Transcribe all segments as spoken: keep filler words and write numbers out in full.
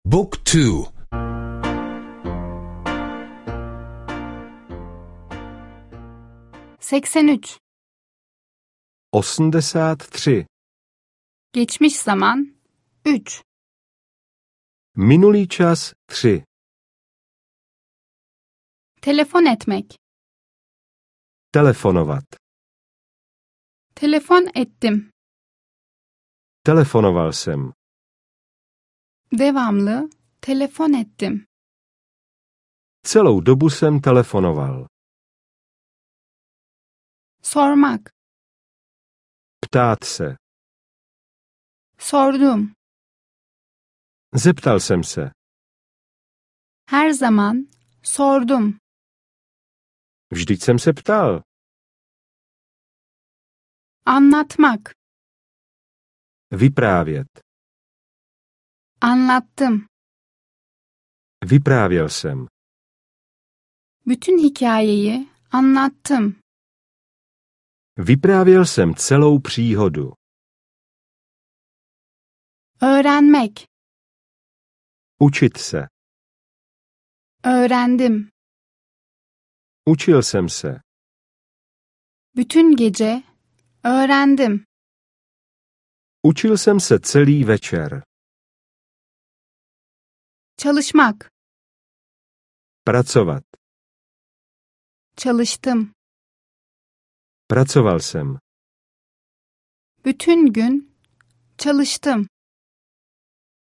Book two. seksen üç. osmdesát tři. Geçmiş zaman üç. Minulý čas tři. Telefon etmek. Telefonovat. Telefon ettim. Telefonoval jsem. Devamlı telefon ettim. Celou dobu jsem telefonoval. Sormak. Ptát se. Sordum. Zeptal jsem se. Her zaman sordum. Vždyť jsem se ptal. Anlatmak. Vyprávět. Anlattım. Vyprávěl jsem. Bütün hikayeyi anlattım. Vyprávěl jsem celou příhodu. Öğrenmek. Učit se. Öğrendim. Učil jsem se. Bütün gece öğrendim. Učil jsem se celý večer. Çalışmak. Pracovat. Çalıştım. Pracoval jsem. Bütün gün çalıştım.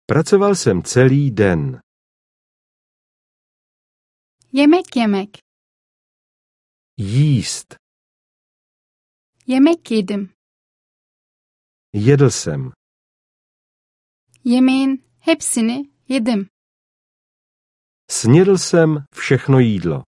Pracoval jsem celý den. Yemek yemek. Jíst. Yemek yedim. Jedl jsem. Yemeğin hepsini yedim. Snědl jsem všechno jídlo.